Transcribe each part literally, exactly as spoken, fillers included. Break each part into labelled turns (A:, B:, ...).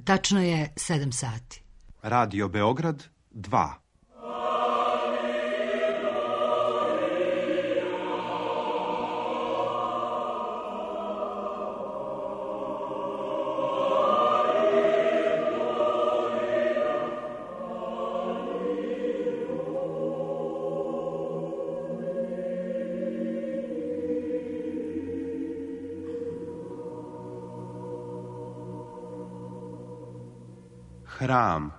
A: Tačno je sedam sati.
B: Radio Beograd dva. Hram.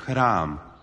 B: Hram.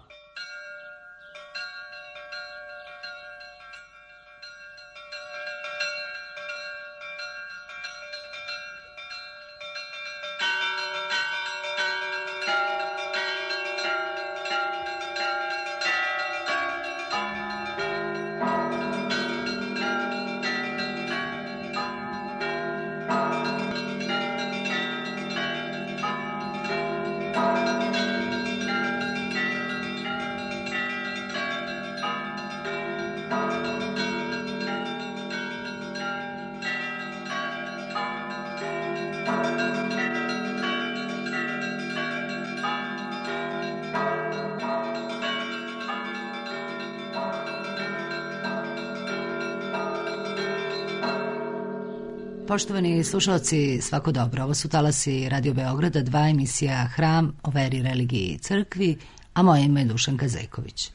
A: Poštovani slušalci, svako dobro. Ovo su talasi Radio Beograda dva, emisija Hram o veri, religiji i crkvi, a moje ime je Dušanka Zejković.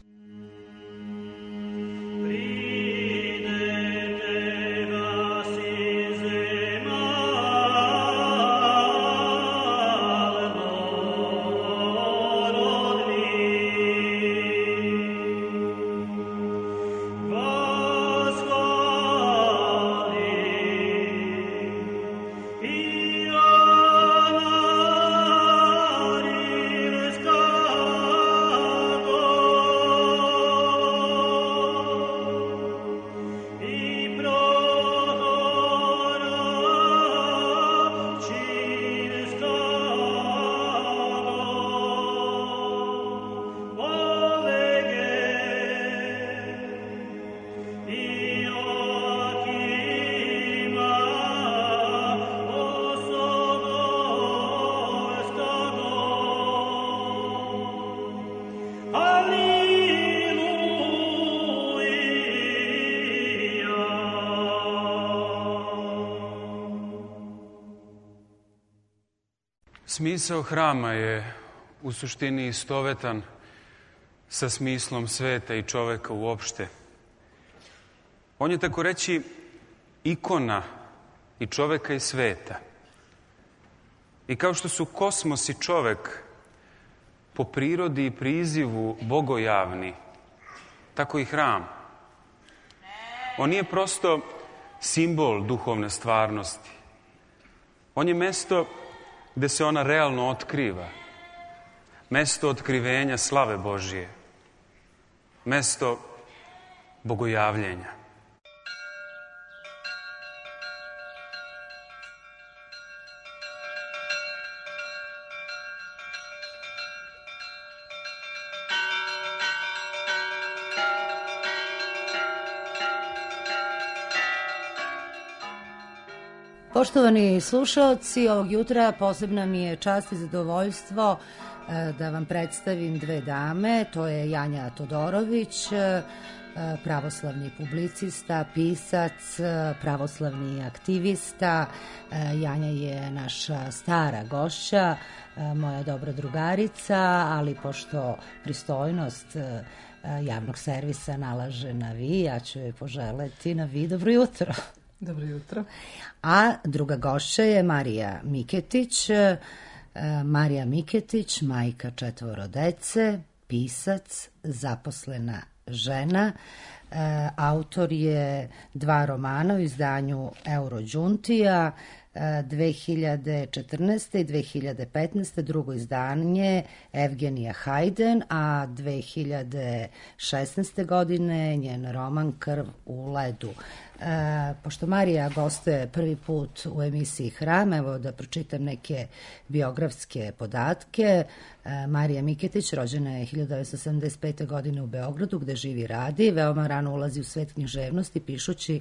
C: Smisao hrama je u suštini istovetan sa smislom sveta i čoveka uopšte. On je, tako reći, ikona i čoveka i sveta. I kao što su kosmos i čovek po prirodi i prizivu bogojavni, tako i hram. On nije prosto simbol duhovne stvarnosti. On je mesto gde se ona realno otkriva. Mesto otkrivenja slave Božije. Mesto bogojavljenja.
A: Poštovani slušaoci, ovog jutra posebna mi je čast i zadovoljstvo da vam predstavim dve dame. To je Janja Todorović, pravoslavni publicista, pisac, pravoslavni aktivista. Janja je naša stara gošća, moja dobra drugarica, ali pošto pristojnost javnog servisa nalaže na vi, ja ću joj poželeti na vi dobro jutro.
D: Dobro jutro.
A: A druga gošća je Marija Miketić. Marija Miketić, majka četvoro dece, pisac, zaposlena žena. Autor je dva romana u izdanju Eurođuntija, dve hiljade četrnaeste. i dve hiljade petnaeste. drugo izdanje Evgenija Hajden, a dve hiljade šesnaeste. godine njen roman Krv u ledu. E, pošto Marija gostuje prvi put u emisiji Hram, evo da pročitam neke biografske podatke. E, Marija Miketić rođena je hiljadu devetsto sedamdeset pete. godine u Beogradu, gde živi i radi. Veoma rano ulazi u svet književnosti, pišući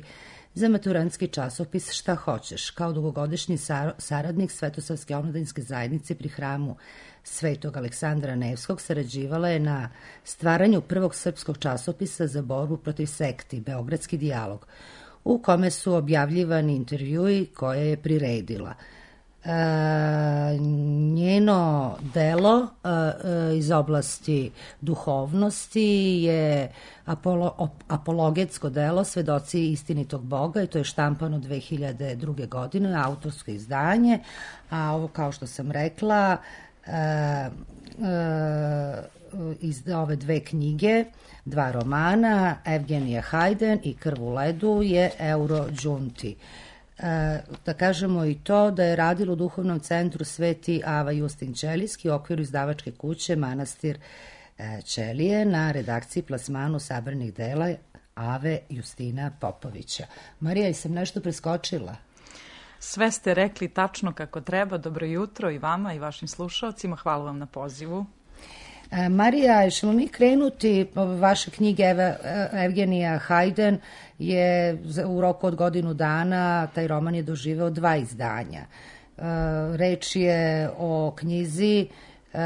A: za maturantski časopis Šta hoćeš. Kao dugogodišnji saradnik Svetosavske omladinske zajednice pri Hramu Svetog Aleksandra Nevskog sarađivala je na stvaranju prvog srpskog časopisa za borbu protiv sekti, Beogradski dijalog, u kome su objavljivani intervjui koje je priredila. E, njeno delo e, iz oblasti duhovnosti je apolo, apologetsko delo Svedoci istinitog Boga, i to je štampano dve hiljade druge. godine, autorsko izdanje, a ovo, kao što sam rekla, e, e, iz ove dve knjige, dva romana, Evgenija Hajden i Krv u ledu, je Euro Đunti. E, da kažemo i to da je radilo u duhovnom centru Sveti Ava Justin Ćelijski u okviru izdavačke kuće Manastir e, Ćelije na redakciji plasmanu sabranih dela Ave Justina Popovića. Marija, sam nešto preskočila?
D: Sve ste rekli tačno kako treba. Dobro jutro i vama i vašim slušalcima. Hvala vam na pozivu.
A: E, Marija, ćemo mi krenuti, vaše knjige Eve, Evgenija Hajden je u roku od godinu dana, taj roman je doživeo dva izdanja. E, reč je o knjizi e,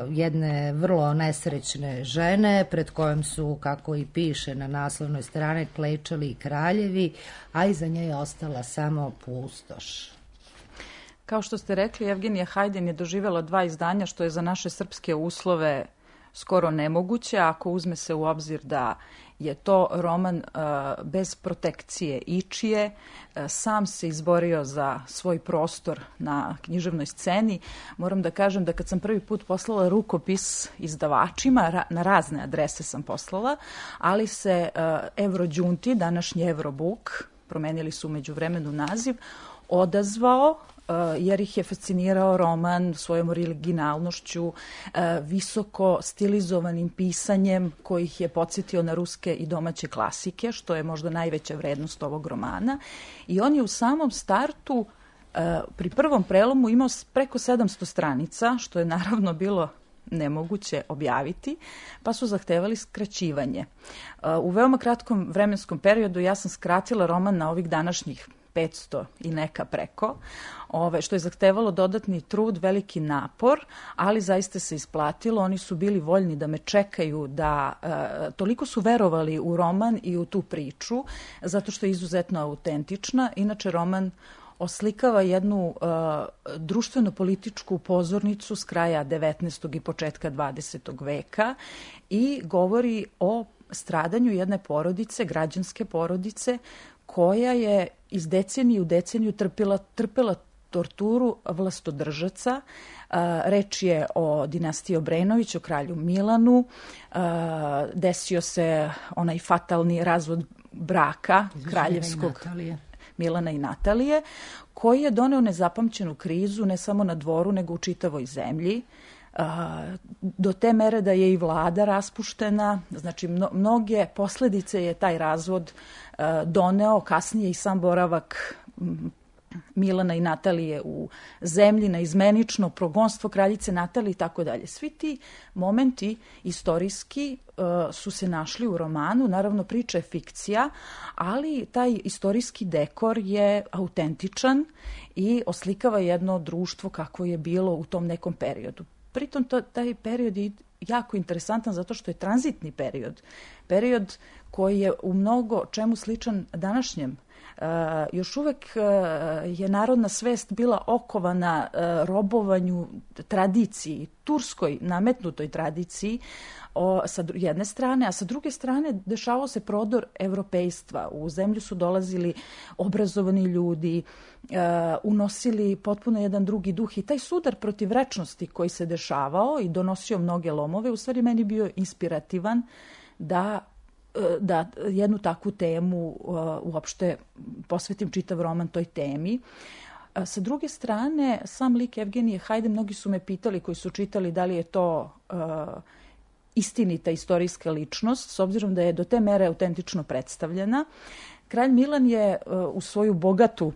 A: jedne vrlo nesrećne žene pred kojom su, kako i piše na naslovnoj strani, klečali i kraljevi, a iza nje je ostala samo pustoš.
D: Kao što ste rekli, Evgenija Hajden je doživjela dva izdanja, što je za naše srpske uslove skoro nemoguće, ako uzme se u obzir da je to roman uh, bez protekcije ičije, uh, sam se izborio za svoj prostor na književnoj sceni. Moram da kažem da kad sam prvi put poslala rukopis izdavačima, ra- na razne adrese sam poslala, ali se uh, Euro Đunti, današnji Eurobook, promenili su umeđu vremenu naziv, odazvao jer ih je fascinirao roman svojom originalnošću, visoko stilizovanim pisanjem koji ih je podsjetio na ruske i domaće klasike, što je možda najveća vrednost ovog romana. I on je u samom startu pri prvom prelomu imao preko sedamsto stranica, što je naravno bilo nemoguće objaviti, pa su zahtevali skraćivanje. U veoma kratkom vremenskom periodu ja sam skratila roman na ovih današnjih petsto i neka preko, ove, što je zahtevalo dodatni trud, veliki napor, ali zaista se isplatilo. Oni su bili voljni da me čekaju, da e, toliko su verovali u roman i u tu priču, zato što je izuzetno autentična. Inače, roman oslikava jednu uh, društveno-političku pozornicu s kraja devetnaestog i početka dvadesetog veka i govori o stradanju jedne porodice, građanske porodice, koja je iz decenije u deceniju trpila, trpela torturu vlastodržaca. Uh, reč je o dinastiji Obrenović, o kralju Milanu. Uh, desio se onaj fatalni razvod braka kraljevskog Milana i Natalije, koji je doneo nezapamćenu krizu ne samo na dvoru, nego u čitavoj zemlji. Uh, do te mere da je i vlada raspuštena, znači mno, mnoge posledice je taj razvod uh, doneo, kasnije i sam boravak m, Milana i Natalije u zemlji, na izmenično progonstvo kraljice Natalije i tako dalje. Svi ti momenti istorijski uh, su se našli u romanu. Naravno, priča je fikcija, ali taj istorijski dekor je autentičan i oslikava jedno društvo kako je bilo u tom nekom periodu. Pritom to, taj period je jako interesantan zato što je tranzitni period. Period koji je u mnogo čemu sličan današnjem. Uh, još uvek uh, je narodna svest bila okovana uh, robovanju tradiciji, turskoj nametnutoj tradiciji o, sa jedne strane, a sa druge strane dešavao se prodor evropejstva. U zemlju su dolazili obrazovani ljudi, uh, unosili potpuno jedan drugi duh i taj sudar protiv rečnosti koji se dešavao i donosio mnoge lomove, u stvari meni bio inspirativan da da jednu takvu temu uh, uopšte posvetim čitav roman toj temi. Uh, Sa druge strane, sam lik Evgenije Hajde, mnogi su me pitali koji su čitali da li je to uh, istinita istorijska ličnost, s obzirom da je do te mere autentično predstavljena. Kralj Milan je uh, u svoju bogatu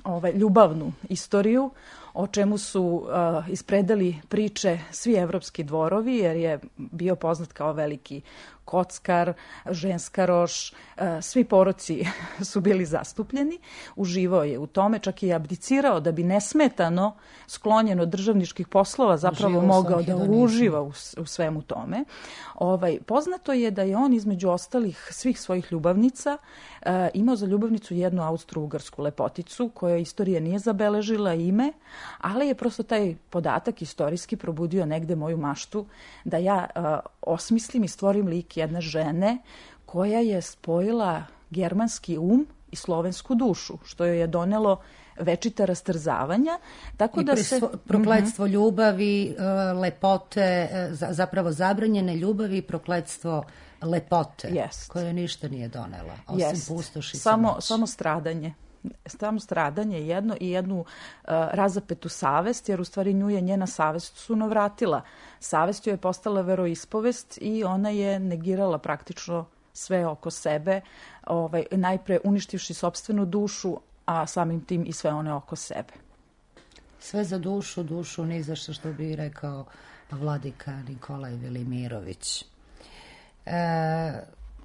D: ovaj, ljubavnu istoriju, o čemu su uh, ispredali priče svi evropski dvorovi, jer je bio poznat kao veliki kockar, ženskaroš, uh, svi poroci su bili zastupljeni, uživao je u tome, čak i abdicirao da bi nesmetano sklonjen od državničkih poslova zapravo
A: Uživo
D: mogao da uživa u, u svemu tome. Ovaj, poznato je da je on između ostalih svih svojih ljubavnica uh, imao za ljubavnicu jednu austro-ugarsku lepoticu koja istorija nije zabeležila ime, ali je prosto taj podatak istorijski probudio negde moju maštu da ja uh, osmislim i stvorim lik jedne žene koja je spojila germanski um i slovensku dušu, što joj je donelo večita rastrzavanja. Tako
A: I
D: da se
A: prokletstvo mm-hmm. ljubavi, lepote, zapravo zabranjene ljubavi i prokletstvo lepote,
D: Jest.
A: koje ništa nije donela, osim
D: Jest.
A: pustoši
D: samo, samo stradanje. Samo stradanje jedno i jednu uh, razapetu savest, jer u stvari nju je njena savest sunovratila. Savest joj je postala veroispovest i ona je negirala praktično sve oko sebe, ovaj, najpre uništivši sopstvenu dušu, a samim tim i sve one oko sebe.
A: Sve za dušu, dušu ni za što, što bi rekao vladika Nikolaj Velimirović. E,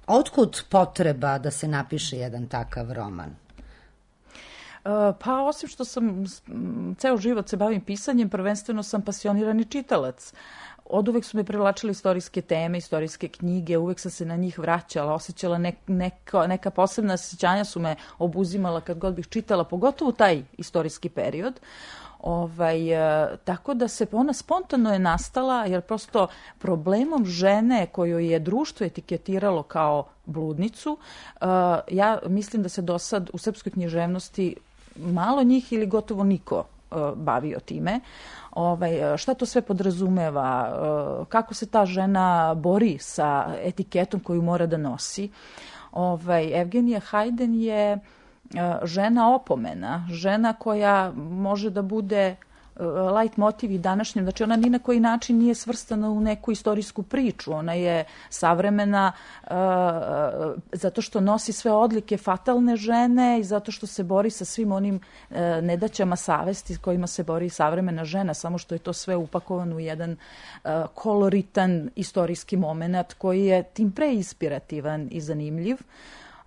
A: otkud potreba da se napiše jedan takav roman?
D: Pa osim što sam ceo život se bavim pisanjem, prvenstveno sam pasionirani čitalac. Od uvek su me privlačile istorijske teme, istorijske knjige, uvek sam se na njih vraćala, osjećala nek, neka, neka posebna osjećanja su me obuzimala kad god bih čitala, pogotovo taj istorijski period. Ovaj, e, tako da se ona spontano je nastala, jer prosto problemom žene koju je društvo etiketiralo kao bludnicu, e, ja mislim da se do sad u srpskoj književnosti malo njih ili gotovo niko e, bavio time. Ovaj, šta to sve podrazumeva, e, kako se ta žena bori sa etiketom koju mora da nosi. Ovaj, Evgenija Hajden je žena opomena, žena koja može da bude light motiv i današnjem, znači ona ni na koji način nije svrstana u neku istorijsku priču, ona je savremena uh, zato što nosi sve odlike fatalne žene i zato što se bori sa svim onim uh, nedaćama savesti s kojima se bori savremena žena, samo što je to sve upakovano u jedan uh, koloritan istorijski moment koji je tim pre inspirativan i zanimljiv.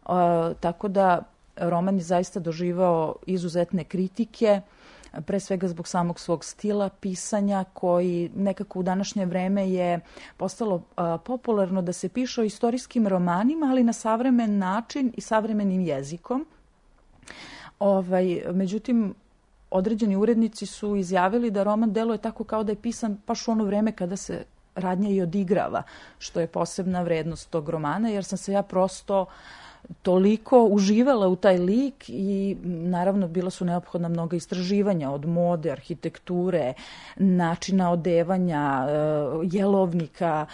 D: Uh, tako da roman je zaista doživao izuzetne kritike, pre svega zbog samog svog stila pisanja koji nekako u današnje vreme je postalo uh, popularno da se piše o istorijskim romanima, ali na savremen način i savremenim jezikom. Ovaj, međutim, određeni urednici su izjavili da roman deluje tako kao da je pisan baš u ono vreme kada se radnja i odigrava, što je posebna vrednost tog romana, jer sam se ja prosto toliko uživala u taj lik i naravno bila su neophodna mnoga istraživanja od mode, arhitekture, načina odevanja, jelovnika,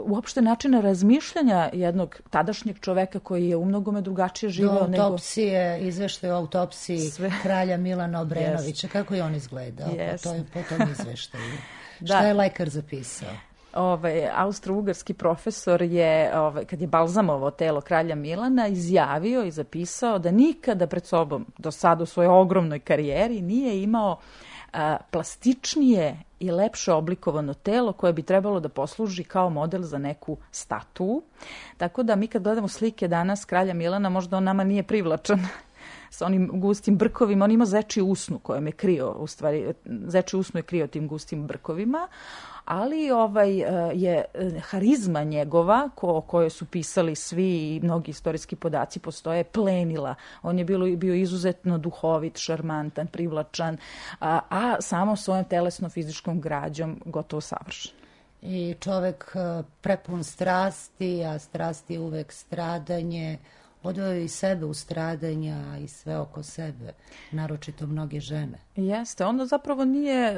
D: uopšte načina razmišljanja jednog tadašnjeg čoveka koji je u mnogome drugačije živeo nego...
A: Do autopsije, izveštaj o autopsiji
D: Sve. Kralja
A: Milana Obrenovića. Yes. Kako je on izgledao
D: yes.
A: po, toj, po tom izveštaju? Da. Šta je lekar zapisao?
D: Ovaj, austro-ugarski profesor je, ovaj, kad je balzamovao telo kralja Milana, izjavio i zapisao da nikada pred sobom do sada u svojoj ogromnoj karijeri nije imao a, plastičnije i lepše oblikovano telo koje bi trebalo da posluži kao model za neku statu. Tako da mi kad gledamo slike danas kralja Milana, možda on nama nije privlačan sa onim gustim brkovima. On ima zečiju usnu kojem je krio, u stvari, zečiju usnu je krio tim gustim brkovima, ali ovaj je harizma njegova, ko, o kojoj su pisali svi i mnogi istorijski podaci postoje, plenila. On je bilo, bio izuzetno duhovit, šarmantan, privlačan, a, a samo svojom telesno-fizičkom građom gotovo savršen.
A: I čovek prepun strasti, a strasti uvek stradanje, odveo i sebe u stradanja i sve oko sebe, naročito mnoge žene.
D: Jeste, on zapravo nije,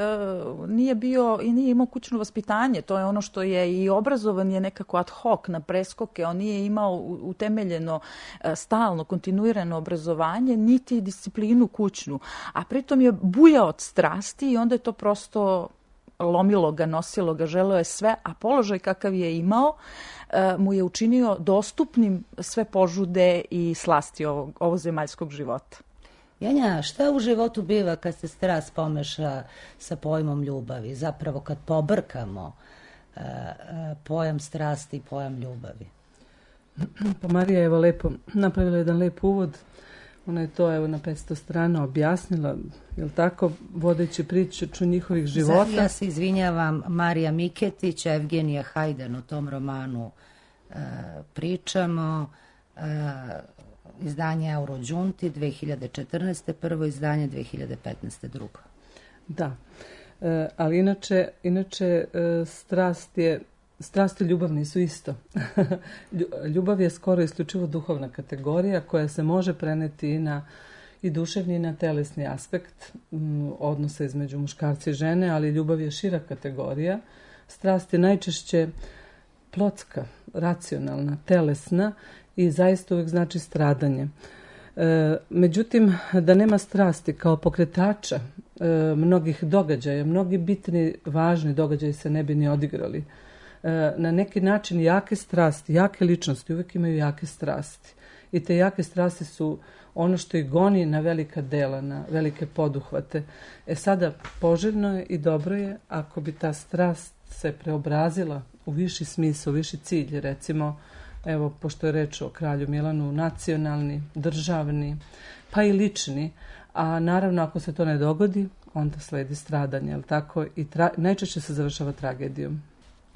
D: nije bio i nije imao kućno vaspitanje. To je ono što je i obrazovan je nekako ad hoc na preskoke. On nije imao utemeljeno stalno, kontinuirano obrazovanje, niti disciplinu kućnu. A pritom je bujao od strasti i onda je to prosto lomilo ga, nosilo ga, želeo je sve, a položaj kakav je imao mu je učinio dostupnim sve požude i slasti ovog, ovog zemaljskog života.
A: Janja, šta u životu biva kad se strast pomeša sa pojmom ljubavi? Zapravo kad pobrkamo uh, uh, pojam strasti i pojam ljubavi?
E: Pa Marija je evo lepo napravila jedan lep uvod. Ona je to evo na petsto strana objasnila, je li tako, vodeći priču njihovih života.
A: Ja se izvinjavam, Marija Miketić, Evgenija Hajden, o tom romanu uh, pričamo. Uh, izdanje Eurođunti dve hiljade četrnaeste. prvo izdanje dve hiljade petnaeste. drugo.
E: Da, e, ali inače, inače e, strast je, strast i ljubav nisu isto. Ljubav je skoro isključivo duhovna kategorija koja se može preneti i na i duševni i na telesni aspekt m, odnosa između muškarca i žene, ali ljubav je šira kategorija. Strast je najčešće plotska, racionalna, telesna i zaista uvijek znači stradanje. E, međutim, da nema strasti kao pokretača e, mnogih događaja, mnogi bitni, važni događaji se ne bi ni odigrali. E, na neki način jake strasti, jake ličnosti uvijek imaju jake strasti. I te jake strasti su ono što ih goni na velika dela, na velike poduhvate. E sada, poželjno je i dobro je ako bi ta strast se preobrazila u viši smisao, u viši cilj, recimo, evo, pošto je reč o kralju Milanu, nacionalni, državni, pa i lični, a naravno ako se to ne dogodi, onda sledi stradanje, jel tako? I tra- najčešće se završava tragedijom.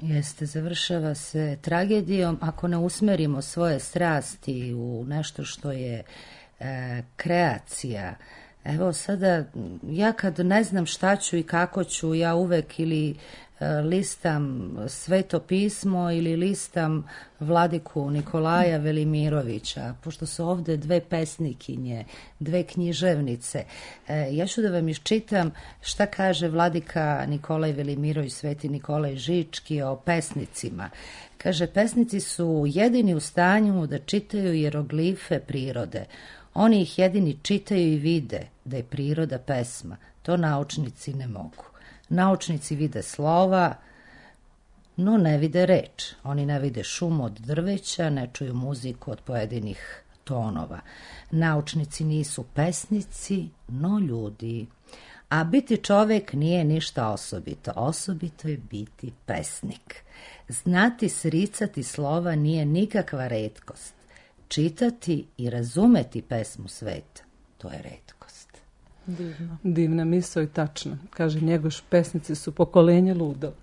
A: Jeste, završava se tragedijom ako ne usmerimo svoje strasti u nešto što je e, kreacija. Evo sada, ja kad ne znam šta ću i kako ću, ja uvek ili listam Sveto pismo ili listam Vladiku Nikolaja Velimirovića, pošto su ovde dve pesnikinje, dve književnice. E, ja ću da vam iščitam šta kaže Vladika Nikolaj Velimirović, Sveti Nikolaj Žički o pesnicima. Kaže, pesnici su jedini u stanju da čitaju jeroglife prirode. Oni ih jedini čitaju i vide da je priroda pesma. To naučnici ne mogu. Naučnici vide slova, no ne vide reč. Oni ne vide šum od drveća, ne čuju muziku od pojedinih tonova. Naučnici nisu pesnici, no ljudi. A biti čovek nije ništa osobito. Osobito je biti pesnik. Znati sricati slova nije nikakva retkost. Čitati i razumeti pesmu sveta, to je retkost.
E: Divno. Divna misao i tačna. Kaže Njegoš, pesnici su pokolenje ludo.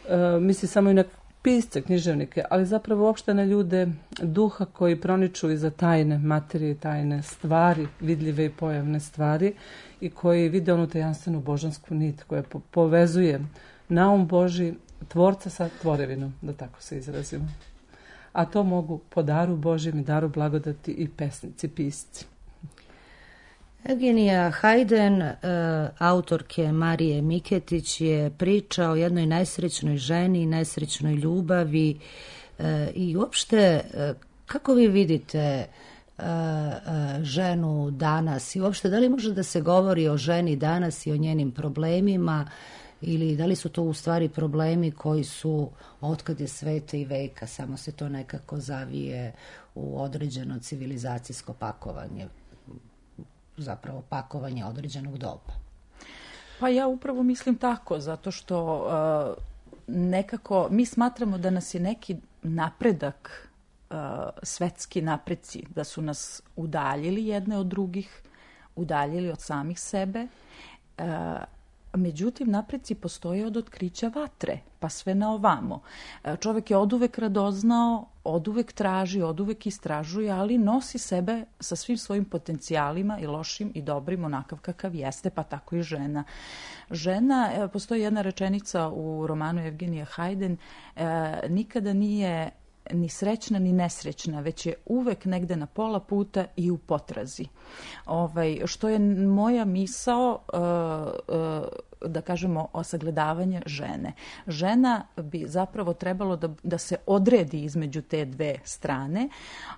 E: E, misli samo i na pisce, književnike, ali zapravo uopšte na ljude duha koji proniču iza tajne materije, tajne stvari, vidljive i pojavne stvari i koji vide onu tajanstvenu božansku nit koja po- povezuje naum Boži, tvorca sa tvorevinom, da tako se izrazimo. A to mogu po daru Božjem i daru blagodati i pesnici, pisci.
A: Evgenija Hajden, e, autorke Marije Miketić, je priča o jednoj nesrećnoj ženi, nesrećnoj ljubavi e, i uopšte e, kako vi vidite e, e, ženu danas i uopšte da li može da se govori o ženi danas i o njenim problemima ili da li su to u stvari problemi koji su otkad je sveta i veka, samo se to nekako zavije u određeno civilizacijsko pakovanje, zapravo pakovanje određenog doba.
D: Pa ja upravo mislim tako, zato što uh, nekako mi smatramo da nas je neki napredak, uh, svetski napreci, da su nas udaljili jedne od drugih, udaljili od samih sebe. Uh, Međutim, napreci postoje od otkrića vatre, pa sve na ovamo. Čovjek je oduvek radoznao, oduvek traži, oduvek istražuje, ali nosi sebe sa svim svojim potencijalima i lošim i dobrim onakav kakav jeste, pa tako i žena. Žena, postoji jedna rečenica u romanu Evgenija Hajden, nikada nije ni srećna ni nesrećna, već je uvek negde na pola puta i u potrazi. Ovaj, što je moja misao, uh, uh, da kažemo, o sagledavanje žene. Žena bi zapravo trebalo da, da se odredi između te dve strane,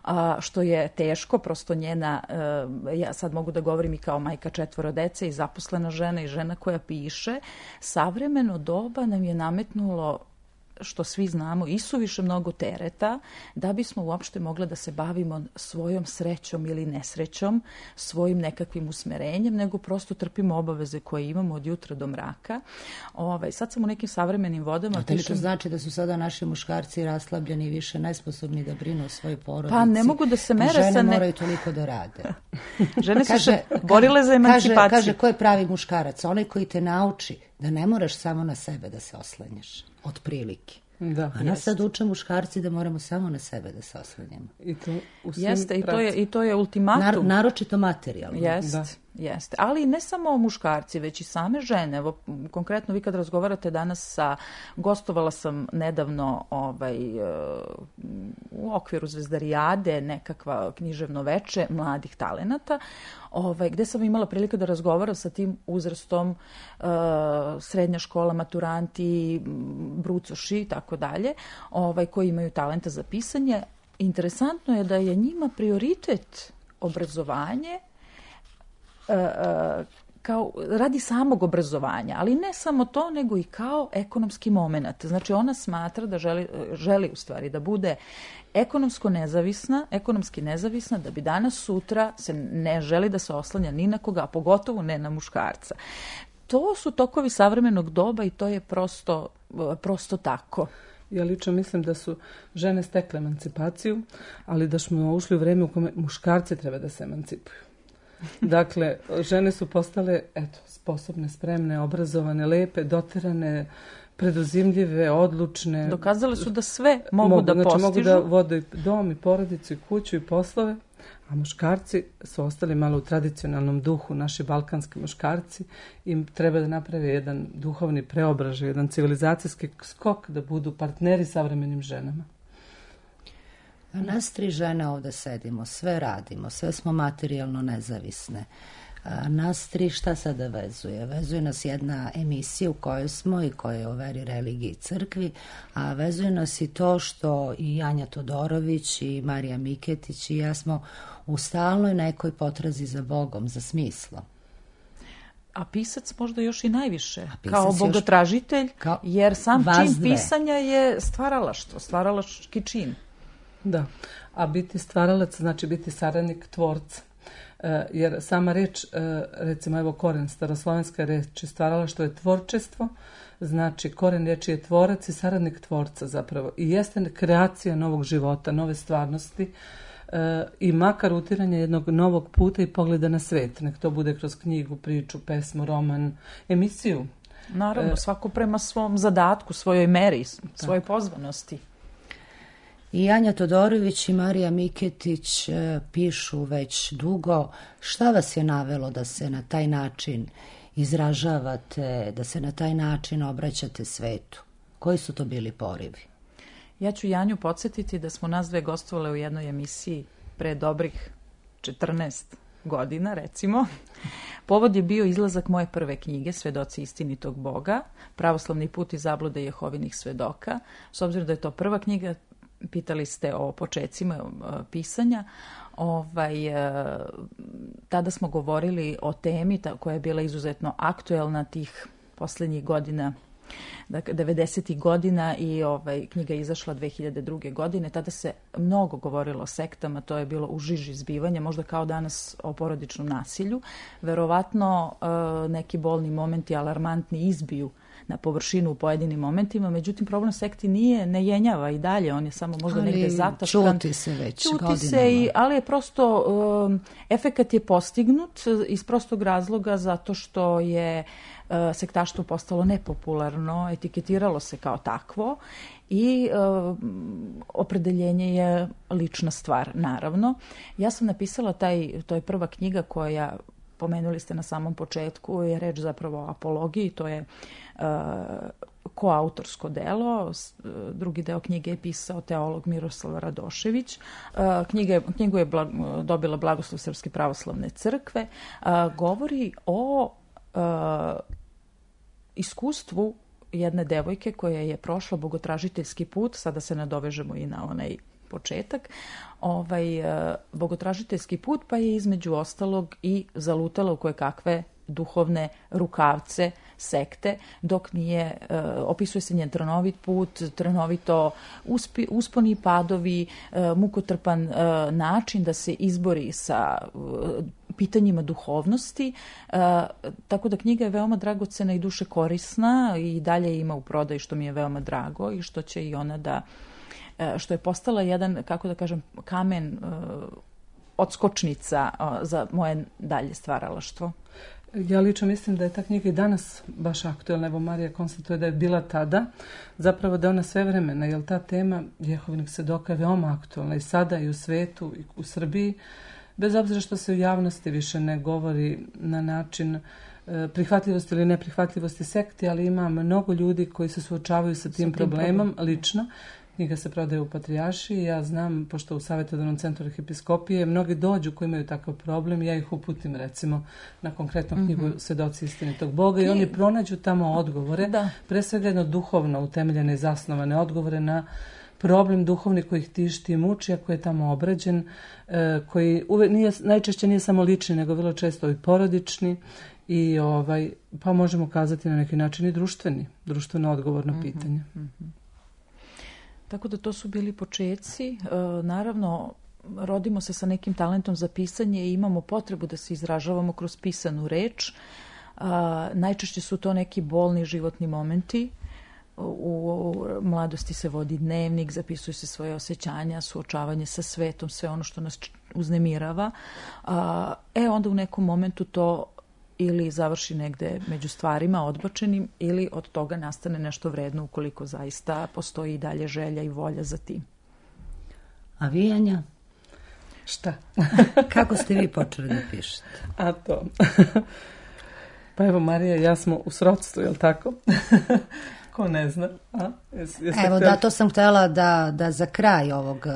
D: a, što je teško, prosto njena, a, ja sad mogu da govorim i kao majka četvoro dece i zaposlena žena i žena koja piše, savremeno doba nam je nametnulo, što svi znamo, isuviše mnogo tereta da bismo uopšte mogli da se bavimo svojom srećom ili nesrećom, svojim nekakvim usmerenjem, nego prosto trpimo obaveze koje imamo od jutra do mraka. Ovaj, sad sam u nekim savremenim vodama...
A: A to što znači da su sada naši muškarci raslabljeni i više nesposobni da brinu o svojoj porodici?
D: Pa ne mogu da se mere
A: žene
D: sa... Ne...
A: moraju toliko da rade.
D: Žene su
A: kaže,
D: se borile za emancipaciju.
A: Kaže, kaže, ko je pravi muškarac? Onaj koji te nauči da ne moraš samo na sebe da se oslanjaš. Otprilike.
E: Da.
A: A nas sad uče muškarci da moramo samo na sebe da se oslanjamo.
E: I to u svim
D: Jeste, i to je, i to je ultimatum.
A: Nar, naročito materijalno.
D: Jeste, jeste. Ali ne samo muškarci, već i same žene. Evo, konkretno vi kad razgovarate danas sa... Gostovala sam nedavno ovaj, u okviru Zvezdarijade, nekakva književno veče mladih talenata, ovaj, gde sam imala prilike da razgovaram sa tim uzrastom, uh, srednja škola, maturanti, brucoši i tako dalje, ovaj, koji imaju talenta za pisanje. Interesantno je da je njima prioritet obrazovanje uh, uh, kao radi samog obrazovanja, ali ne samo to, nego i kao ekonomski moment. Znači ona smatra da želi, želi u stvari da bude ekonomsko nezavisna, ekonomski nezavisna, da bi danas sutra se ne želi da se oslanja ni na koga, a pogotovo ne na muškarca. To su tokovi savremenog doba i to je prosto, prosto tako.
E: Ja lično mislim da su žene stekle emancipaciju, ali da smo ušli u vreme u kome muškarci treba da se emancipuju. Dakle, žene su postale, eto, sposobne, spremne, obrazovane, lepe, doterane, preduzimljive, odlučne.
D: Dokazale su da sve mogu, mogu da
E: znači,
D: postižu.
E: Mogu da vode dom i porodicu i kuću i poslove, a muškarci su ostali malo u tradicionalnom duhu, naši balkanski muškarci, im treba da naprave jedan duhovni preobražaj, jedan civilizacijski skok da budu partneri savremenim ženama.
A: A nas tri žene ovde sedimo, sve radimo, sve smo materijalno nezavisne. A nas tri šta sada vezuje? Vezuje nas jedna emisija u kojoj smo i koja je o veri, religiji i crkvi, a vezuje nas i to što i Janja Todorović i Marija Miketić i ja smo u stalnoj nekoj potrazi za Bogom, za smislom.
D: A pisac možda još i najviše, kao bogotražitelj,
A: kao
D: jer sam
A: vazdve.
D: Čin pisanja je stvaralaštvo, stvaralački čin.
E: Da, a biti stvaralac znači biti saradnik tvorca. E, jer sama reč, e, recimo evo koren, staroslovenska reč stvaralaštvo je tvorčestvo, znači koren reči je tvorac i saradnik tvorca zapravo. I jeste kreacija novog života, nove stvarnosti e, i makar utiranje jednog novog puta i pogleda na svet. Nek to bude kroz knjigu, priču, pesmu, roman, emisiju.
D: Naravno, e, svako prema svom zadatku, svojoj meri, svojoj pozvanosti.
A: I Janja Todorović i Marija Miketić e, pišu već dugo. Šta vas je navelo da se na taj način izražavate, da se na taj način obraćate svetu? Koji su to bili porivi?
D: Ja ću Janju podsjetiti da smo nas dve gostovale u jednoj emisiji pre dobrih četrnaest godina, recimo. Povod je bio izlazak moje prve knjige, Svedoci istinitog Boga, Pravoslavni put i zablude Jehovinih svedoka. S obzirom da je to prva knjiga, pitali ste o počecima pisanja, ovaj, tada smo govorili o temi koja je bila izuzetno aktuelna tih poslednjih godina, dakle devedesetih godina, i ovaj, knjiga je izašla dve hiljade druge. godine. Tada se mnogo govorilo o sektama, to je bilo u žiži zbivanja, možda kao danas o porodičnom nasilju. Verovatno neki bolni momenti, alarmantni, izbiju na površinu u pojedinim momentima, međutim problem sekti nije, ne jenjava i dalje, on je samo možda ali negde zataškan.
A: Čuti se već
D: čuti
A: godinama.
D: Se i, ali je prosto, um, efekat je postignut iz prostog razloga zato što je uh, sektaštvo postalo nepopularno, etiketiralo se kao takvo i uh, opredeljenje je lična stvar, naravno. Ja sam napisala taj, to je prva knjiga koja, pomenuli ste na samom početku, je reč zapravo o apologiji, to je uh, koautorsko delo. Drugi deo knjige je pisao teolog Miroslav Radošević. Knjiga, knjigu je blag, dobila Blagoslov Srpske pravoslavne crkve. Govori o iskustvu jedne devojke koja je prošla bogotražiteljski put, sada se nadovežemo i na onaj početak, ovaj, bogotražiteljski put, pa je između ostalog i zalutala u koje kakve duhovne rukavce sekte, dok nije, uh, opisuje se njen trnovit put, trnovito uspi, usponi i padovi, uh, mukotrpan uh, način da se izbori sa uh, pitanjima duhovnosti, uh, tako da knjiga je veoma dragocena i duše korisna i dalje ima u prodaji, što mi je veoma drago i što će i ona da, uh, što je postala jedan, kako da kažem, kamen uh, odskočnica uh, za moje dalje stvaralaštvo.
E: Ja lično mislim da je ta knjiga i danas baš aktuelna. Evo Marija konstatuje da je bila tada, zapravo da je ona sve vremena, jer ta tema Jehovinih svedoka je veoma aktuelna i sada i u svetu i u Srbiji, bez obzira što se u javnosti više ne govori na način e, prihvatljivosti ili neprihvatljivosti sekti, ali ima mnogo ljudi koji se suočavaju sa tim, tim problemom problem. lično. Knjiga se prodaje u Patrijaršiji. Ja znam, pošto u Savjetodavnom centru Arhipiskopije mnogi dođu koji imaju takav problem, ja ih uputim recimo na konkretnu knjigu mm-hmm. Svedoci istinitog Boga i, i oni pronađu tamo odgovore, da. pre svega jedno duhovno utemeljene i zasnovane odgovore na problem duhovni koji ih tišti i muči, a koji je tamo obrađen, e, koji uve, nije, najčešće nije samo lični, nego vrlo često i porodični i ovaj, pa možemo kazati na neki način i društveni, društveno odgovorno mm-hmm. pitanje.
D: Mm-hmm. Tako da to su bili počeci. E, naravno, rodimo se sa nekim talentom za pisanje i imamo potrebu da se izražavamo kroz pisanu reč. E, najčešće su to neki bolni životni momenti. U, u mladosti se vodi dnevnik, zapisuju se svoje osjećanja, suočavanje sa svetom, sve ono što nas uznemirava. E, onda u nekom momentu to ili završi negde među stvarima odbačenim ili od toga nastane nešto vredno ukoliko zaista postoji i dalje želja i volja za tim.
A: A vi, Anja?
E: Šta?
A: Kako ste vi počeli da pišete?
E: A to... Pa evo, Marija, ja smo u srodstvu, je li tako? Ko ne zna? A? Jes,
A: Evo, htjeli? Da, to sam htjela da, da za kraj ovog,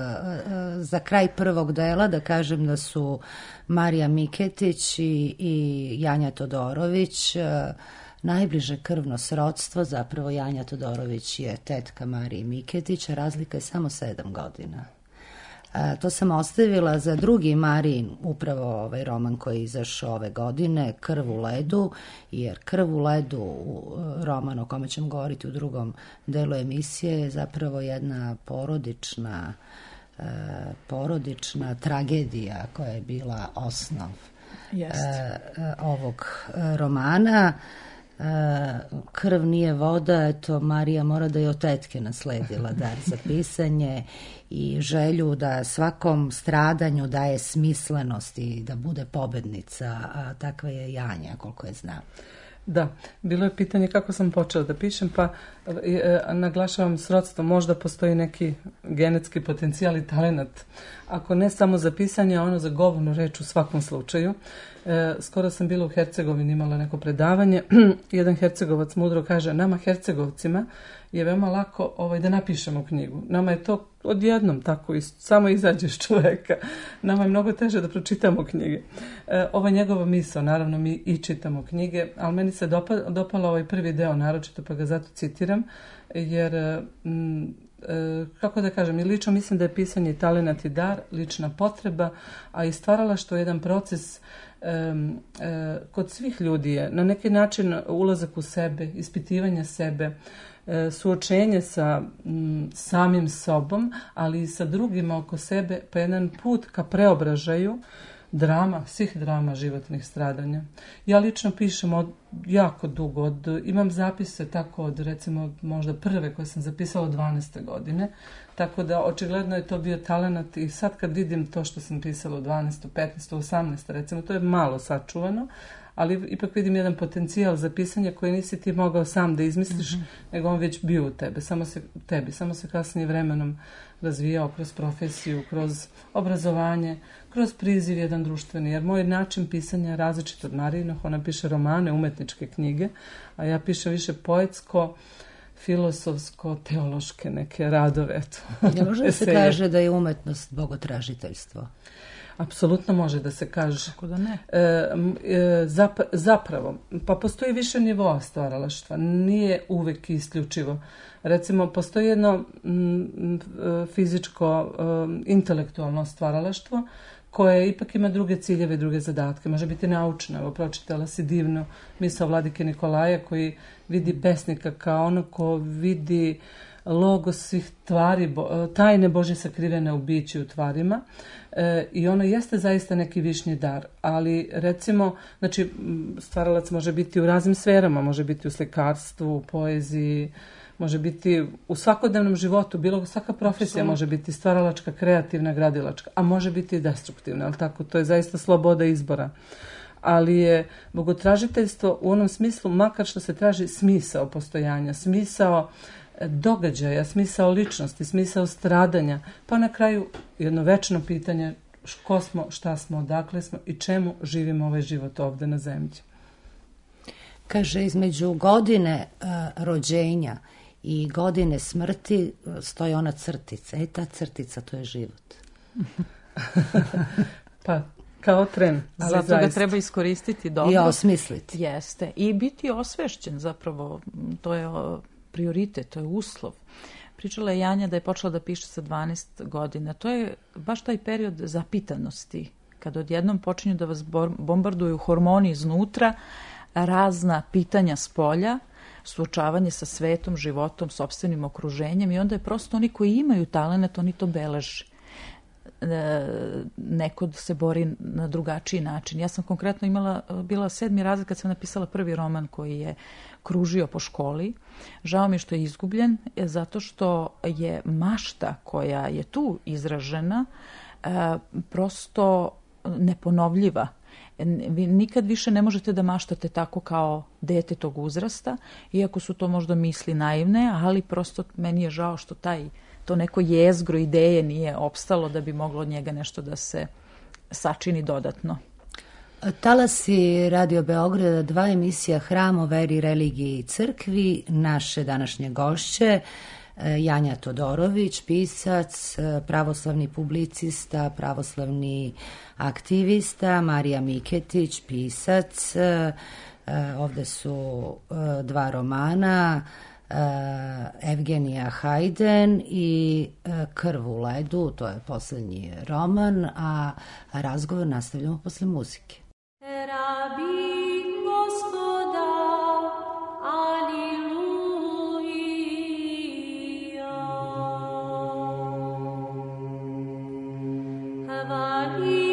A: za kraj prvog dela da kažem da su Marija Miketić i, i Janja Todorović najbliže krvno srodstvo. Zapravo Janja Todorović je tetka Marije Miketić, a razlika je samo sedam godina. A, to sam ostavila za drugi Marijin, upravo ovaj roman koji je izašao ove godine, Krv u ledu, jer Krv u ledu, roman o kome ćemo govoriti u drugom delu emisije, je zapravo jedna porodična, e, porodična tragedija koja je bila osnov e, ovog romana. Krv nije voda, eto Marija mora da je od tetke nasledila dar za pisanje i želju da svakom stradanju daje smislenost i da bude pobednica, a takva je Janja, koliko je znam.
E: Da, bilo je pitanje kako sam počela da pišem, pa e, naglašavam srodstvo, možda postoji neki genetski potencijal i talenat, ako ne samo za pisanje, ono za govornu reč u svakom slučaju. E, skoro sam bila u Hercegovini, imala neko predavanje, jedan Hercegovac mudro kaže, nama Hercegovcima je veoma lako ovaj, da napišemo knjigu. Nama je to odjednom tako, samo izađe iz čoveka. Nama je mnogo teže da pročitamo knjige. E, ovo je njegova misao, naravno mi i čitamo knjige, ali meni se dopa, dopalo ovaj prvi deo naročito, pa ga zato citiram, jer m, e, kako da kažem, i lično mislim da je pisanje talenat i dar, lična potreba, a i stvaralaštvo je jedan proces e, e, kod svih ljudi je na neki način ulazak u sebe, ispitivanje sebe, suočenje sa m, samim sobom, ali i sa drugima oko sebe, pa jedan put ka preobražaju drama, svih drama životnih stradanja. Ja lično pišem od, jako dugo, od, imam zapise tako od recimo možda prve koje sam zapisala od dvanaeste godine, tako da očigledno je to bio talenat i sad kad vidim to što sam pisala od dvanaeste, petnaeste, osamnaeste recimo, to je malo sačuvano, ali ipak vidim jedan potencijal za pisanje koji nisi ti mogao sam da izmisliš, mm-hmm. nego on već bio u tebe, samo se, tebi, samo se kasnije vremenom razvijao kroz profesiju, kroz obrazovanje, kroz priziv jedan društveni, jer moj način pisanja je različit od Marijinog, ona piše romane, umetničke knjige, a ja pišem više poetsko, filosofsko-teološke neke radove. Eto.
A: Ne može da se kaže da je umetnost bogotražiteljstvo?
E: Apsolutno može da se kaže.
D: Kako da ne?
E: E, e, zap, zapravo, pa postoji više nivoa stvaralaštva. Nije uvek isključivo. Recimo, postoji jedno m, fizičko, m, intelektualno stvaralaštvo koje ipak ima druge ciljeve, druge zadatke. Može biti naučno. Evo, pročitala si divno misao Vladike Nikolaja koji vidi pesnika kao ono ko vidi logo svih tvari, tajne Božje sakrivene u biću u tvarima. E, I ono jeste zaista neki višnji dar. Ali recimo, znači, stvaralac može biti u raznim sferama. Može biti u slikarstvu, u poeziji, može biti u svakodnevnom životu, bilo svaka profesija može biti stvaralačka, kreativna, gradilačka, a može biti i destruktivna, ali tako, to je zaista sloboda izbora. Ali je bogotražiteljstvo u onom smislu, makar što se traži smisao postojanja, smisao događaja, smisao ličnosti, smisao stradanja, pa na kraju jedno večno pitanje ko smo, šta smo, odakle smo i čemu živimo ovaj život ovde na zemlji.
A: Kaže, između godine uh, rođenja i godine smrti stoji ona crtica. E, ta crtica, to je život.
E: Pa, kao tren. Ali
D: zato
E: zaista
D: ga treba iskoristiti dobro.
A: I osmisliti.
D: Jeste. I biti osvešćen zapravo. To je prioritet, to je uslov. Pričala je Janja da je počela da piše sa dvanaest godina. To je baš taj period zapitanosti. Kad odjednom počinju da vas bombarduju hormoni iznutra, razna pitanja s polja, suočavanje sa svetom, životom, sopstvenim okruženjem i onda je prosto oni koji imaju talenat, oni to beleže. Neko se bori na drugačiji način. Ja sam konkretno imala, bila sedmi razred kad sam napisala prvi roman koji je kružio po školi. Žao mi je što je izgubljen, zato što je mašta koja je tu izražena prosto neponovljiva. Vi nikad više ne možete da maštate tako kao dete tog uzrasta, iako su to možda misli naivne, ali prosto meni je žao što taj, to neko jezgro ideje nije opstalo da bi moglo od njega nešto da se sačini dodatno.
A: Talasi Radio Beograda, dva emisija Hram o veri, religiji i crkvi, naše današnje gošće, Janja Todorović, pisac, pravoslavni publicista, pravoslavni aktivista, Marija Miketić, pisac, ovde su dva romana, Evgenija Hajden i Krv u ledu, to je poslednji roman, a razgovor nastavljamo posle muzike.
F: Alleluia.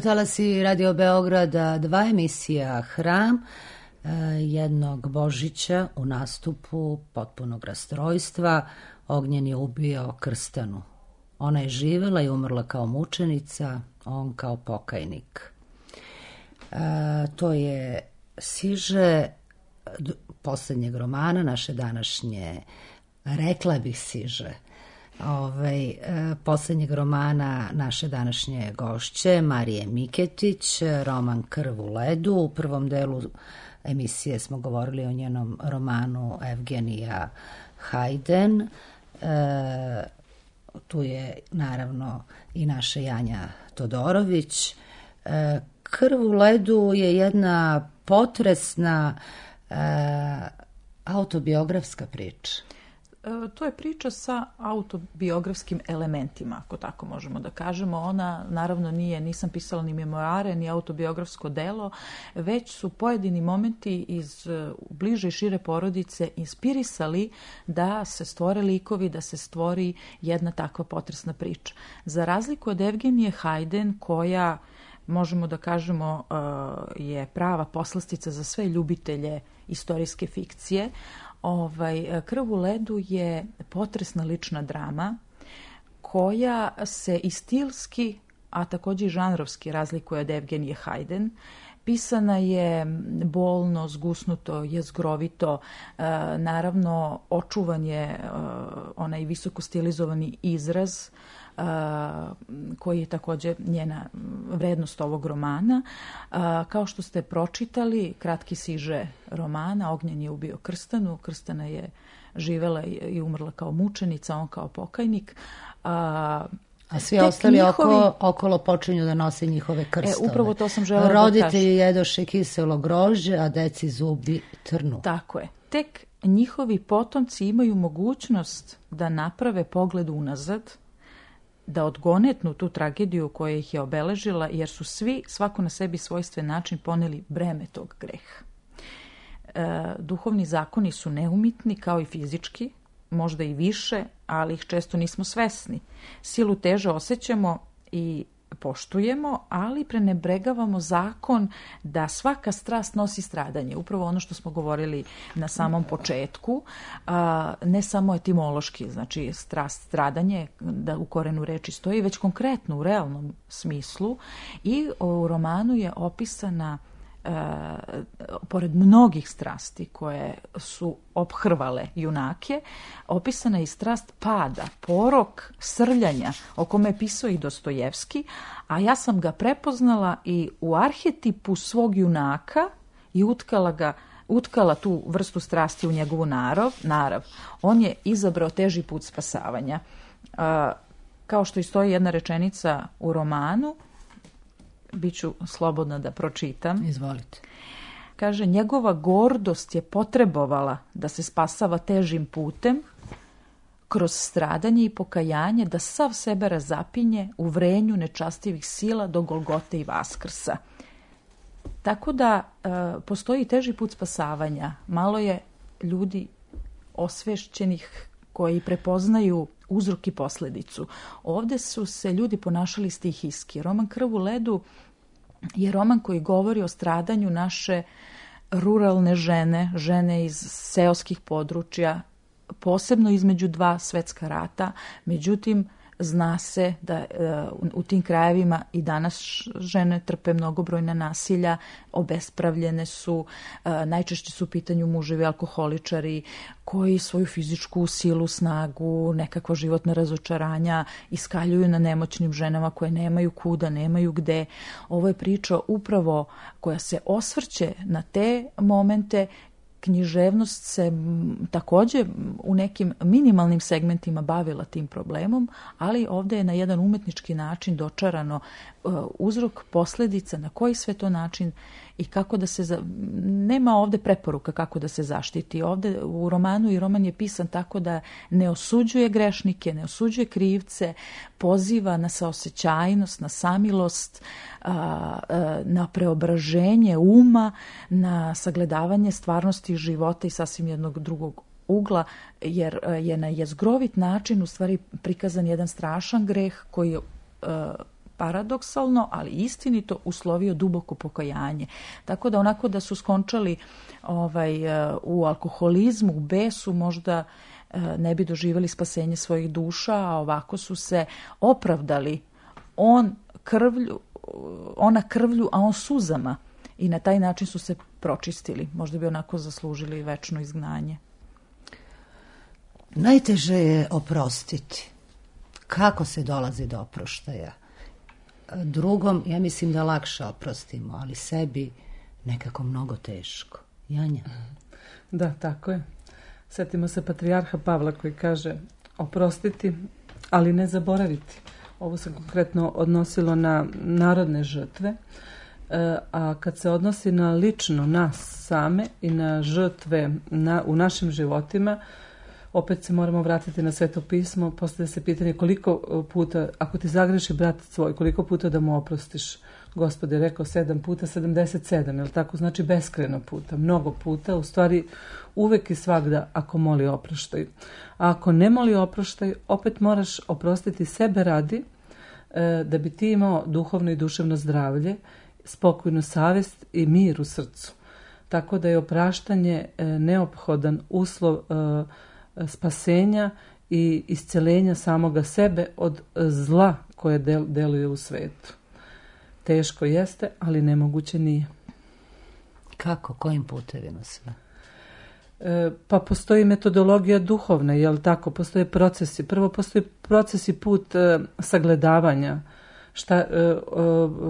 A: Talasi Radio Beograda, dva emisija Hram, jednog Božića u nastupu potpunog rastrojstva. Ognjen je ubio Krstanu. Ona je živela i umrla kao mučenica, on kao pokajnik. E, to je siže poslednjeg romana naše današnje, rekla bih siže, ovaj, e, poslednjeg romana naše današnje gošće, Marije Miketić, roman Krv u ledu. U prvom delu emisije smo govorili o njenom romanu Evgenija Hajden. E, tu je naravno i naša Janja Todorović. E, Krv u ledu je jedna potresna e, autobiografska priča.
D: To je priča sa autobiografskim elementima, ako tako možemo da kažemo. Ona naravno nije, nisam pisala ni memoare, ni autobiografsko delo, već su pojedini momenti iz bliže i šire porodice inspirisali da se stvore likovi, da se stvori jedna takva potresna priča. Za razliku od Evgenije Hajden, koja, možemo da kažemo, je prava poslastica za sve ljubitelje istorijske fikcije, Ovaj, Krv u ledu je potresna lična drama koja se i stilski, a takođe i žanrovski razlikuje od Evgenije Hajden. Pisana je bolno, zgusnuto, jezgrovito, e, naravno očuvan je e, onaj visoko stilizovani izraz Uh, koji je takođe njena vrednost ovog romana. Uh, kao što ste pročitali, kratki siže romana, Ognjen je ubio Krstanu, Krstana je živela i umrla kao mučenica, on kao pokajnik. Uh,
A: A svi ostali njihovi... oko, okolo počinju da nose njihove krstove.
D: E, upravo to sam želela
A: Roditelji
D: da kažem.
A: jedoše kiselo grožđe, a deci zubi trnu.
D: Tako je. Tek njihovi potomci imaju mogućnost da naprave pogled unazad, da odgonetnu tu tragediju koja ih je obeležila, jer su svi, svako na sebi svojstven način, poneli breme tog greha. E, duhovni zakoni su neumitni, kao i fizički, možda i više, ali ih često nismo svesni. Silu teže osjećamo i poštujemo, ali prenebregavamo zakon da svaka strast nosi stradanje. Upravo ono što smo govorili na samom početku, a, ne samo etimološki, znači strast, stradanje, da u korenu reči stoji, već konkretno u realnom smislu. I u romanu je opisana, E, pored mnogih strasti koje su ophrvale junake, opisana je i strast pada, porok, srljanja, o kome je pisao i Dostojevski, a ja sam ga prepoznala i u arhetipu svog junaka i utkala ga utkala tu vrstu strasti u njegovu narav. narav. On je izabrao teži put spasavanja. E, kao što i stoji jedna rečenica u romanu, biću slobodna da pročitam.
A: Izvolite.
D: Kaže, njegova gordost je potrebovala da se spasava težim putem, kroz stradanje i pokajanje, da sav sebe razapinje u vrenju nečastivih sila do Golgote i Vaskrsa. Tako da e, postoji teži put spasavanja. Malo je ljudi osvešćenih koji prepoznaju uzrok i posledicu. Ovde su se ljudi ponašali stihijski. Roman Krv u ledu je roman koji govori o stradanju naše ruralne žene, žene iz seoskih područja, posebno između dva svetska rata. Međutim, zna se da u tim krajevima i danas žene trpe mnogobrojna nasilja, obespravljene su, najčešće su u pitanju muževi alkoholičari koji svoju fizičku silu, snagu, nekakva životna razočaranja iskaljuju na nemoćnim ženama koje nemaju kuda, nemaju gde. Ovo je priča upravo koja se osvrće na te momente. Književnost se takođe u nekim minimalnim segmentima bavila tim problemom, ali ovde je na jedan umetnički način dočarano uzrok, posledica, na koji sve to način i kako da se... Za... Nema ovde preporuka kako da se zaštiti. Ovde u romanu, i roman je pisan tako da ne osuđuje grešnike, ne osuđuje krivce, poziva na saosećajnost, na samilost, na preobraženje uma, na sagledavanje stvarnosti života i sasvim jednog drugog ugla, jer je na jezgrovit način u stvari prikazan jedan strašan greh koji paradoksalno, ali istinito uslovio duboko pokajanje. Tako da onako da su skončali ovaj, u alkoholizmu, u besu, možda ne bi doživjeli spasenje svojih duša, a ovako su se opravdali. On krvlju, ona krvlju, a on suzama. I na taj način su se pročistili. Možda bi onako zaslužili večno izgnanje.
A: Najteže je oprostiti. Kako se dolazi do oproštaja? Drugom, ja mislim da lakše oprostimo, ali sebi nekako mnogo teško. Janja?
E: Da, tako je. Sjetimo se patrijarha Pavla koji kaže oprostiti, ali ne zaboraviti. Ovo se konkretno odnosilo na narodne žrtve, a kad se odnosi na lično nas same i na žrtve na, u našim životima, opet se moramo vratiti na Sveto pismo, postavlja se pitanje koliko puta, ako ti zagreši brat svoj, koliko puta da mu oprostiš. Gospod je rekao sedam puta, sedamdeset sedam, jel tako? Znači beskrajno puta, mnogo puta, u stvari uvek i svagda ako moli oproštaj. A ako ne moli oproštaj, opet moraš oprostiti sebe radi, e, da bi ti imao duhovno i duševno zdravlje, spokojnu savjest i mir u srcu. Tako da je opraštanje e, neophodan uslov e, spasenja i isceljenja samoga sebe od zla koje del, deluje u svetu. Teško jeste, ali nemoguće nije.
A: Kako? Kojim putevima sve?
E: E, pa postoji metodologija duhovna, jel tako? Postoje procesi. Prvo postoji proces i put e, sagledavanja, šta, e, e,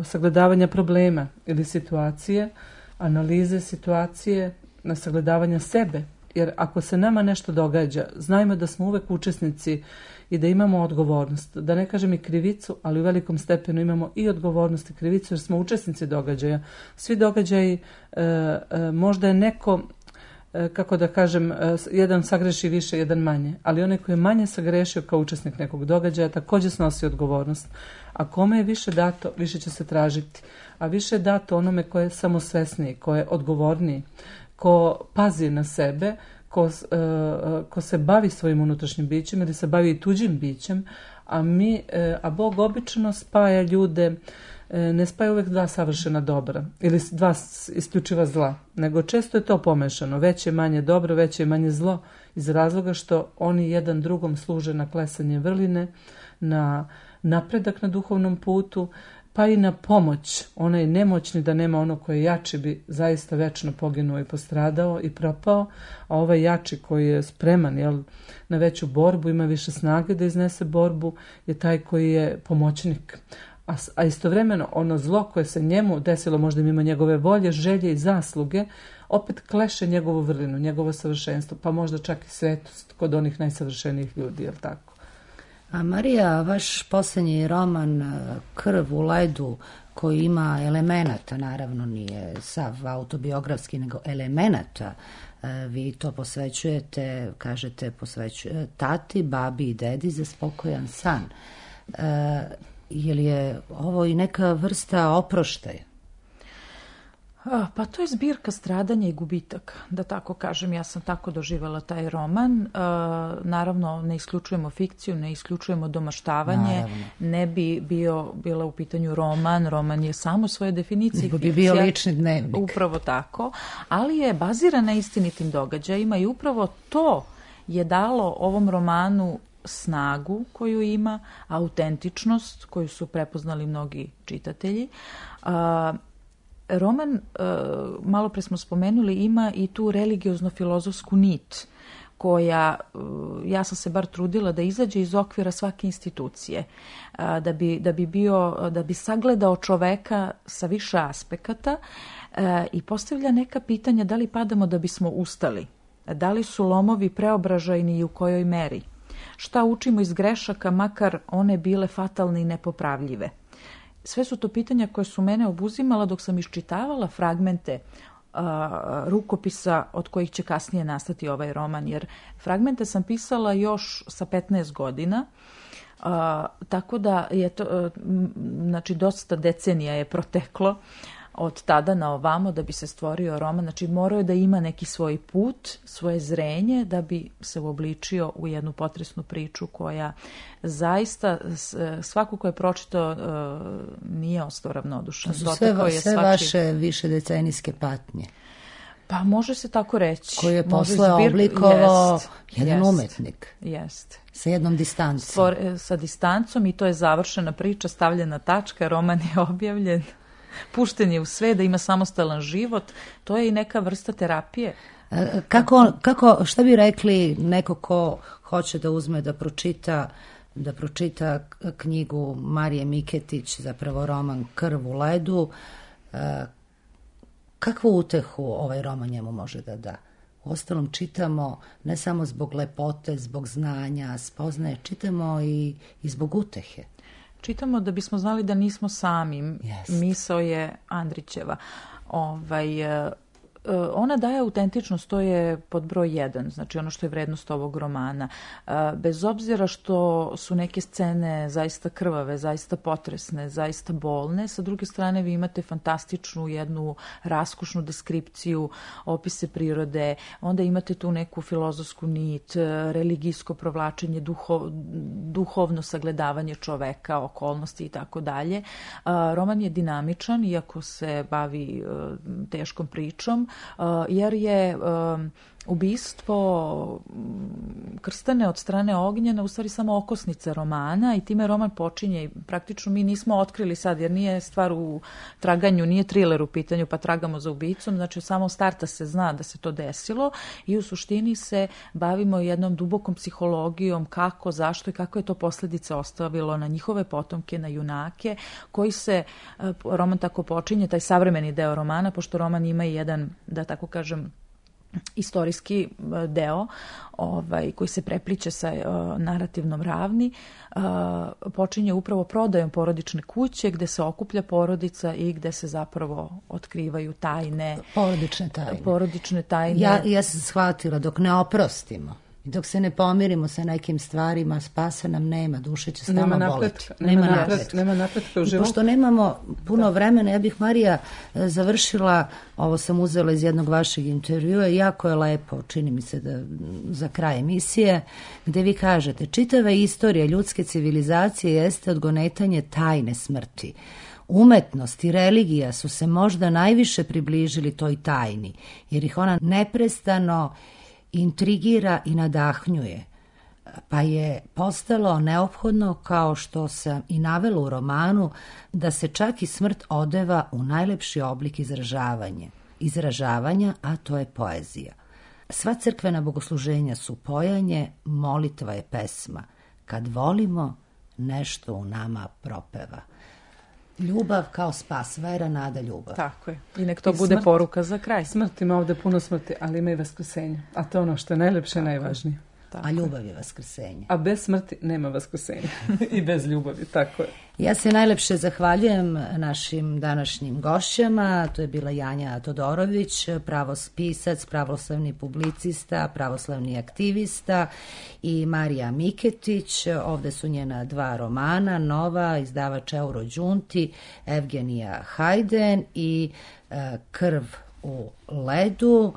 E: sagledavanja problema ili situacije, analize situacije, na sagledavanja sebe. Jer ako se nama nešto događa, znajmo da smo uvek učesnici i da imamo odgovornost. Da ne kažem i krivicu, ali u velikom stepenu imamo i odgovornost i krivicu jer smo učesnici događaja. Svi događaji, e, e, možda je neko, e, kako da kažem, e, jedan sagreši više, jedan manje. Ali onaj koji je manje sagrešio kao učesnik nekog događaja također snosi odgovornost. A kome je više dato, više će se tražiti. A više je dato onome ko je samosvesniji, ko je odgovorniji, ko pazi na sebe, ko, uh, ko se bavi svojim unutrašnjim bićem ili se bavi i tuđim bićem, a, mi, uh, a Bog obično spaja ljude, uh, ne spaja uvijek dva savršena dobra ili dva isključiva zla, nego često je to pomešano, veće manje dobro, veće manje zlo, iz razloga što oni jedan drugom služe na klesanje vrline, na napredak na duhovnom putu, pa i na pomoć. Onaj nemoćni da nema ono koje je jači bi zaista večno poginuo i postradao i propao, a ovaj jači koji je spreman jel, na veću borbu, ima više snage da iznese borbu, je taj koji je pomoćnik. A, a istovremeno ono zlo koje se njemu desilo možda mimo njegove volje, želje i zasluge, opet kleše njegovu vrlinu, njegovo savršenstvo, pa možda čak i svetost kod onih najsavršenijih ljudi, jel tako?
A: A Marija, vaš posljednji roman Krv u ledu, koji ima elemenata, naravno nije sav autobiografski, nego elemenata, vi to posvećujete, kažete, posvećujete tati, babi i dedi za spokojan san. Je li je ovo i neka vrsta oproštaja?
D: Pa to je zbirka stradanja i gubitaka, da tako kažem. Ja sam tako doživjela taj roman. E, naravno, ne isključujemo fikciju, ne isključujemo domaštavanje. Naravno. Ne bi bio, bila u pitanju roman. Roman je samo svoje definicije.
A: Nego bi bio lični dnevnik.
D: Upravo tako. Ali je baziran na istinitim događajima i upravo to je dalo ovom romanu snagu koju ima, autentičnost koju su prepoznali mnogi čitatelji. A, roman, malo pre smo spomenuli, ima i tu religiozno-filozofsku nit koja, ja sam se bar trudila da izađe iz okvira svake institucije, da bi, da bi, bio, da bi sagledao čoveka sa više aspekata i postavlja neka pitanja da li padamo da bismo ustali, da li su lomovi preobražajni i u kojoj meri, šta učimo iz grešaka, makar one bile fatalne i nepopravljive. Sve su to pitanja koje su mene obuzimala dok sam iščitavala fragmente a, rukopisa od kojih će kasnije nastati ovaj roman, jer fragmente sam pisala još sa petnaest godina, a, tako da je to, a, znači dosta decenija je proteklo od tada na ovamo da bi se stvorio roman. Znači morao je da ima neki svoj put, svoje zrenje da bi se uobličio u jednu potresnu priču koja zaista svako ko je pročitao nije ostao ravnodušan.
A: To su sve, sve svači... vaše višedecenijske patnje.
D: Pa može se tako reći.
A: Koji je posle oblikovao jest, jedan
D: jest,
A: umetnik.
D: Jest.
A: Sa jednom distancom.
D: Stvor, sa distancom i to je završena priča, stavljena tačka, roman je objavljen, pušten je u sve, da ima samostalan život. To je i neka vrsta terapije.
A: Kako, kako, šta bi rekli neko ko hoće da uzme da pročita da pročita knjigu Marije Miketić, zapravo roman Krv u ledu, kakvu utehu ovaj roman njemu može da da? Uostalom čitamo ne samo zbog lepote, zbog znanja, spoznaje, čitamo i, i zbog utehe.
D: Čitamo da bismo znali da nismo sami.
A: Jest.
D: Misao je Andrićeva. Ovaj, ona daje autentičnost, to je pod broj jedan, znači ono što je vrednost ovog romana. Bez obzira što su neke scene zaista krvave, zaista potresne, zaista bolne, sa druge strane vi imate fantastičnu jednu raskušnu deskripciju, opise prirode, onda imate tu neku filozofsku nit, religijsko provlačenje, duho, duhovno sagledavanje čoveka, okolnosti i tako dalje. Roman je dinamičan, iako se bavi teškom pričom, jer je um, ubistvo Krstane od strane Ognjena u stvari samo okosnica romana i time roman počinje i praktično mi nismo otkrili sad, jer nije stvar u traganju, nije triler u pitanju pa tragamo za ubicom, znači od samog starta se zna da se to desilo i u suštini se bavimo jednom dubokom psihologijom kako, zašto i kako je to posljedice ostavilo na njihove potomke, na junake, koji se, roman tako počinje, taj savremeni deo romana, pošto roman ima i jedan, da tako kažem, istorijski deo ovaj, koji se prepliče sa uh, narativnom ravni, uh, počinje upravo prodajom porodične kuće gde se okuplja porodica i gde se zapravo otkrivaju tajne.
A: Porodične tajne.
D: Porodične tajne.
A: Ja, ja sam shvatila, dok ne oprostimo i dok se ne pomirimo sa nekim stvarima, spasa nam nema, duše će stalno boliti.
E: Nema napretka, nema napretka u životu.
A: Pošto nemamo puno vremena, ja bih, Marija, završila, ovo sam uzela iz jednog vašeg intervjua, jako je lepo, čini mi se da za kraj emisije, gde vi kažete, čitava istorija ljudske civilizacije jeste odgonetanje tajne smrti. Umetnost i religija su se možda najviše približili toj tajni, jer ih ona neprestano intrigira i nadahnjuje, pa je postalo neophodno, kao što sam i navela u romanu, da se čak i smrt odeva u najlepši oblik izražavanja, izražavanja, a to je poezija. Sva crkvena bogosluženja su pojanje, molitva je pesma. Kad volimo, nešto u nama propeva. Ljubav kao spas, vera, nada, ljubav.
D: Tako je. I nek to
E: I
D: bude
E: smrt,
D: poruka za kraj.
E: Smrt ima ovde puno smrti, ali ima i vaskrsenje. A to je ono što je najlepše i najvažnije.
A: Tako. A ljubav je vaskrsenje.
E: A bez smrti nema vaskrsenja. I bez ljubavi, tako je.
A: Ja se najlepše zahvaljujem našim današnjim gošćama. To je bila Janja Todorović, pravospisac, pravoslavni publicista, pravoslavni aktivista, i Marija Miketić. Ovde su njena dva romana, nova, izdavač Eurođunti, Evgenija Hajden i e, Krv u ledu.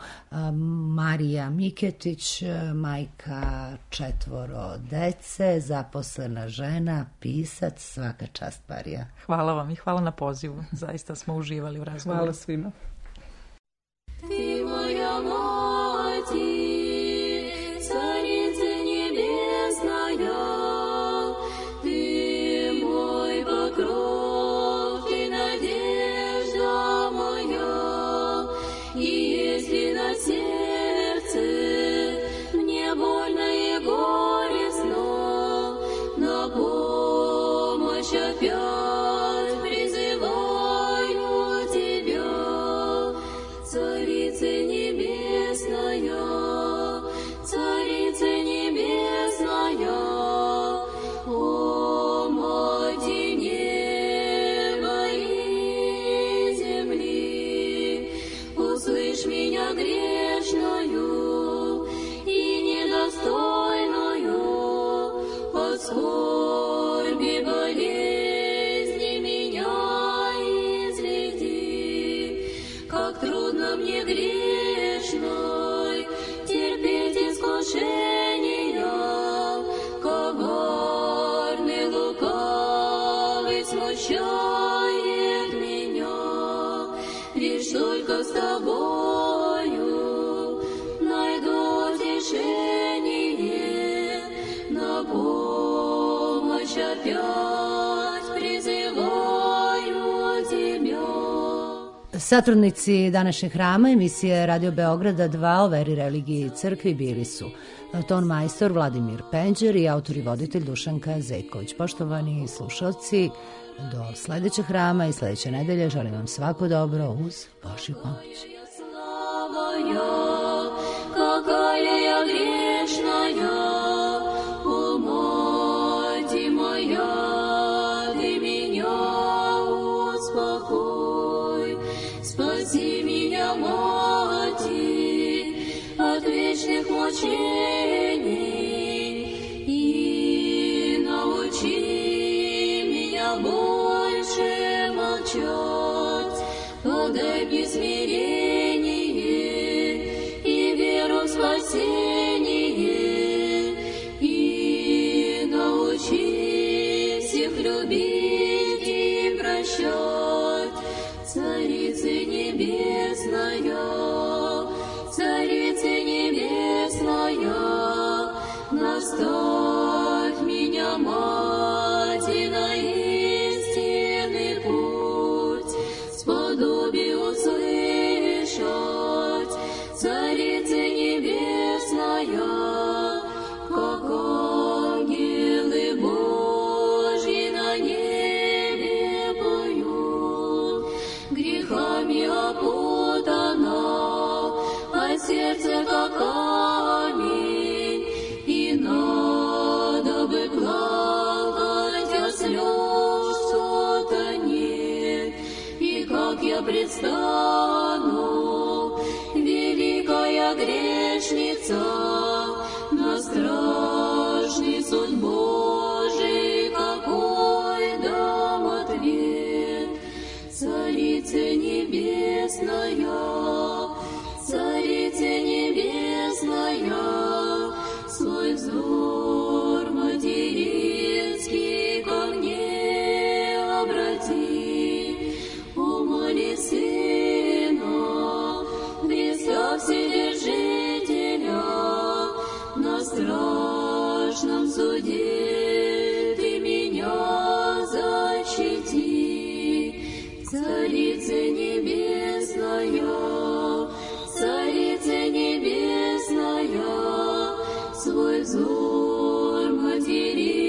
A: Marija Miketić, majka četvoro dece, zaposlena žena, pisac, svaka čast, Marija.
D: Hvala vam i hvala na pozivu. Zaista smo uživali u razgovoru.
E: Hvala svima.
F: Ti moja mati, царица небесная, ты мой покров, ты надежда моя, и если на сердце мне больно и горестно, на помощь опять призываю тебя, Царица небесная, Царица небесная, о мати неба и земли, услышь меня грешную и недостойную от скорби болезни меня излети. что с тобою найду утешение, на помощь опять призываю тебя.
A: Satrudnici današnjeg hrama emisije Radio Beograda dva o veri, religiji i crkvi bili su ton majstor Vladimir Penđer i autor i voditelj Dušanka Zetković. Poštovani slušalci, do sledećeg hrama i sledeće nedelje želim vam svako dobro uz Božju pomoć.
F: Какая я грешная, о, мать моя, ты меня успокой. Спаси меня, Мати, от вечных мучений и научи меня больше молчать. Подай мне смирение и веру в спасение, и научи всех любить и прощать. Царица небесная, Царица небесная, наставь меня, Мати, на истинный путь, сподоби услышать. Царица небесная, как ангелы Божьи на небе поют, грехами опутана, а сердце как камень, и надо бы плакать, а слез что-то нет. И как я предстану, великая грешница, на страшный суд Божий, какой дам ответ. Царица небесная, Царица небесная, свой взор материнский ко мне обрати. Умоли Сына, Христа Вседержителя, на страшном суде ты меня защити. Царица небесная, Царица небесная, свой взор матери